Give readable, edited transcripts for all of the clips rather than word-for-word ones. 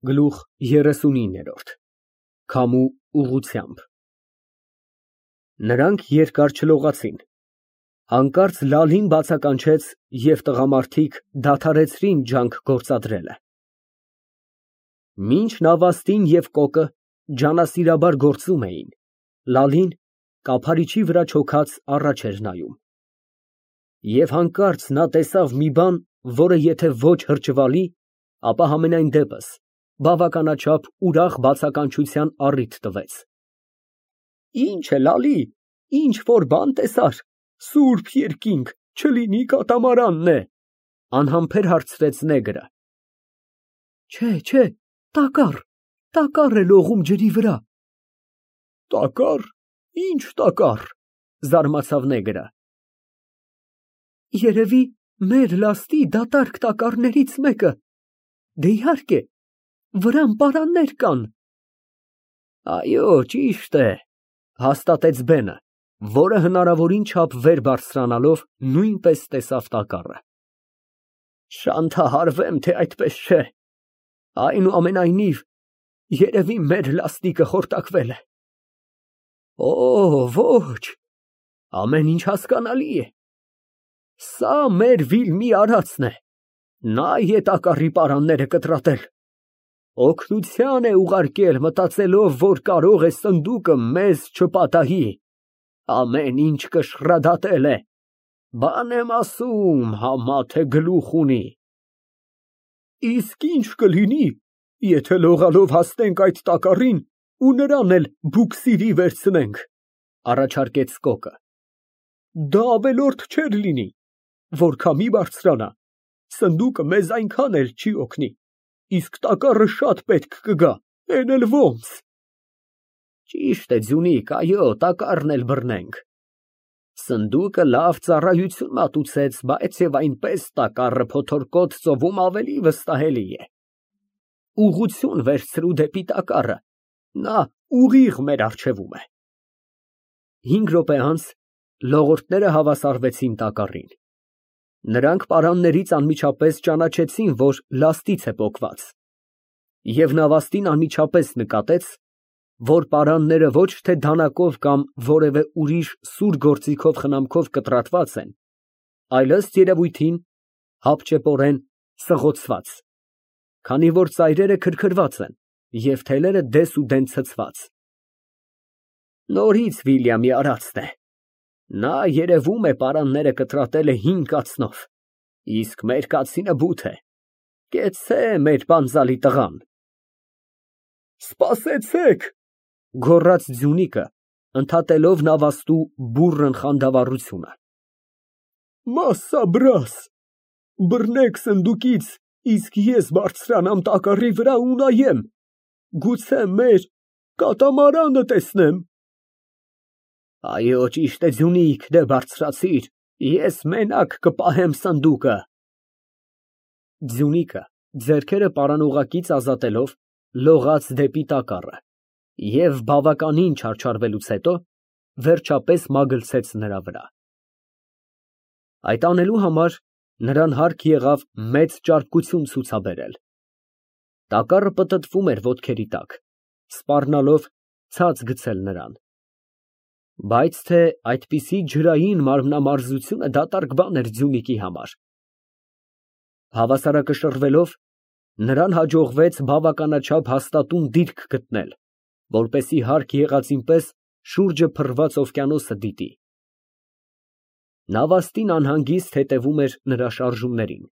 Գլուխ 39 Քամու ուղղությամբ Նրանք երկար չլողացին, հանկարծ Լալին բացականչեց և տղամարդիկ դադարեցրին ջանք գործադրելը։ Մինչ Նավաստին և Կոկը ջանասիրաբար գործում էին, Լալին կափարիչի վրա չոքած առաջ էր նայում։ Եվ հանկարծ նա տեսավ մի բան, որը եթե ոչ հրճվալի, ապա համենայն դեպս բավականաչափ ուրախ բացականչության առիթ տվեց։ Ի՞նչ է, Լալի, ինչ֊որ բան տեսա՞ր, սուրբ երկինք, չլինի կատամարանն է, անհամբեր հարցրեց նեգրը։ Չէ, տակառ է լողում ջրի վրա։ Տակառ, ինչ տակառ, զարմացավ նեգրը։ Երևի մեր լաստի դատարկ տակառներից մեկը, դե իհարկե, վրան պարաններ կան։ Այո, ճիշտ է, հաստատեց Բենը, որը հնարավորին չափ վեր բարձրանալով նույնպես տեսավ տակառը։ Շանթահարվեմ, թե այդպես չէ, այնուամենայնիվ, երևի մեր լաստիկը խորտակվել է։ Օ, ոչ, ամեն ինչ հասկանալի է։ Սա մեր Վիլմի արածն է, նա է տակառի պարանները կտրատել, օգնության է ուղարկել, մտածելով, որ կարող է սնդուկը մեզ չպատահի, ամեն ինչ կշռադատել է, բան եմ ասում, համա թե գլուխ ունի։ Իսկ ինչ կլինի, եթե լողալով հասնենք այդ տակառին ու նրան էլ բուքսիրի վերցնենք, առաջարկեց Կոկը։ Դա ավելորդ չէր լինի, որ քամի բարձրանա, սնդուկը մեզ այնքան էլ չի օգնի, իսկ տակառը շատ պետք կգա, էն էլ ոնց։ Ճիշտ է, Ձյունիկ, այո, տակառն էլ բռնենք։ Սնդուկը լավ ծառայություն մատուցեց, բայց և այնպես տակառը փոթորկոտ ծովում ավելի վստահելի է։ Ուղղություն վերցրու դեպի տակառը, նա ուղիղ մեր առջևում է։ 5 րոպե անց լողորդները հավասարվեցին տակառին։ Նրանք պարաններից անմիջապես ճանաչեցին, որ լաստից է պոկված, և Նավաստին անմիջապես նկատեց, որ պարանները ոչ թե դանակով կամ որևէ ուրիշ սուր գործիքով խնամքով կտրատված են, այլ ըստ երևույթին հապճեպորեն սղոցված, քանի որ ծայրերը քրքրված են և թելերը դեսուդեն ցցված։ Նորից Վիլյամի արածն է, նա երևում է պարանները կտրատել է 5 կացնով, իսկ մեր կացինը բութ է, կեցցե մեր պանձալի տղան։ Սպասեցեք, գոռաց Ձյունիկը, ընդհատելով Նավաստու բուռն խանդավառությունը։ Մասսաբրաս, բռնեք սնդուկից, իսկ ես բարձրանամ տակառի վրա ու նայեմ, գուցե մեր կատամարանը տեսնեմ։ Այո, ճիշտ է, Ձյունիկ, դե բարձրացիր, ես մենակ կպահեմ սնդուկը։ Ձյունիկը, ձեռքերը պարանօղակից ազատելով, լողաց դեպի տակառը և բավականին չարչարվելուց հետո, վերջապես մագլցեց նրա վրա։ Այդ անելու համար նրան հարկ եղավ մեծ ճարպկություն ցուցաբերել։ Տակառը պտտվում էր ոտքերի տակ, սպառնալով ցած գցել նրան։ Բայց թե այդպիսի ջրային մարմնամարզությունը դատարկ բան էր Ձյունիկի համար։ Հավասարակշռվելով, նրան հաջողվեց բավականաչափ հաստատուն դիրք գտնել, որպեսզի հարկ եղածին պես շուրջը փռված օվկիանոսը դիտի։ Նավաստին անհանգիստ հետևում էր նրա շարժումներին։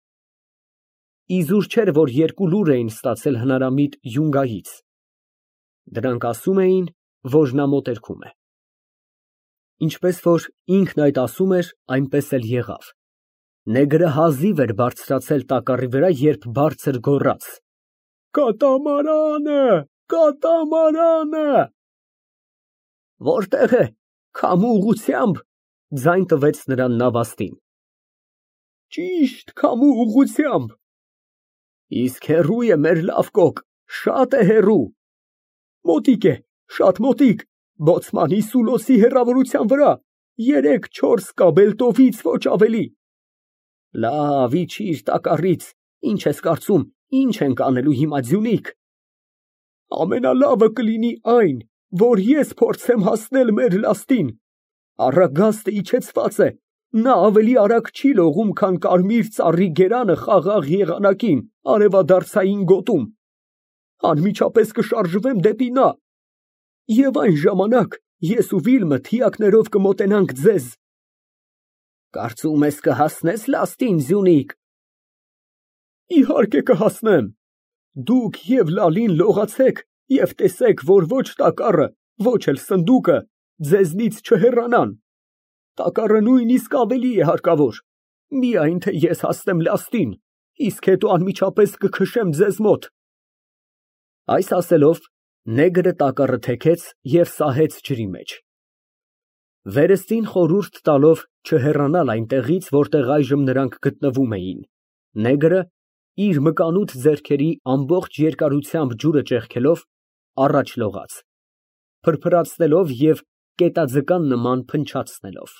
Իզուր չէր, որ 2 լուր էին ստացել հնարամիտ յունգայից։ Դրանք ասում էին, որ նա մոտերքում է։ Ինչպես որ ինքն այդ ասում էր, այնպես էլ եղավ։ Նեգրը հազիվ էր բարձրացել տակառի վրա, երբ բարձր գոռաց. Կատամարանը, կատամարանը։ Որտե՞ղ է, քամու ուղղությամբ, ձայն տվեց նրան Նավաստին։ Ճիշտ քամու ուղղությամբ։ Իսկ հեռու է մեր լավ Կոկ, շատ է հեռու։ Մոտիկ է, շատ մոտիկ, բոցմանի Սուլոսի հեռավորության վրա, 3-4 կաբելտովից ոչ ավելի։ Լավ, իջիր տակառից, ինչ ես կարծում, ինչ ենք անելու հիմա, Ձյունիկ։ Ամենալավը կլինի այն, որ ես փորձեմ հասնել մեր լաստին։ Առագաստը իջեցված է, նա ավելի արագ չի լողում, քան կարմիր ծառի գերանը խաղաղ եղանակին արևադարձային գոտում։ Անմիջապես կշարժվեմ դեպի նա, և այն ժամանակ ես ու Վիլմը թիակներով կմոտենանք ձեզ։ Կարծում ես կհասնես լաստին, Զյունիք։ Իհարկե կհասնեմ։ Դուք և Լալին լողացեք և տեսեք, որ ոչ տակառը, ոչ էլ սնդուկը ձեզնից չհեռանան։ Տակառը նույնիսկ ավելի է հարկավոր, միայն թե ես հասնեմ լաստին, իսկ հետո անմիջապես կքշեմ ձեզ մոտ։ Այս ասելով, նեգրը տակառը թեքեց և սահեց ջրի մեջ։ Վերստին խորհուրդ տալով չհեռանալ այնտեղից, որտեղ այժմ նրանք գտնվում էին, նեգրը, իր մկանուտ ձեռքերի ամբողջ երկարությամբ ջուրը ճեղքելով, առաջ լողաց, փրփրացնելով և կետաձկան նման փնչացնելով։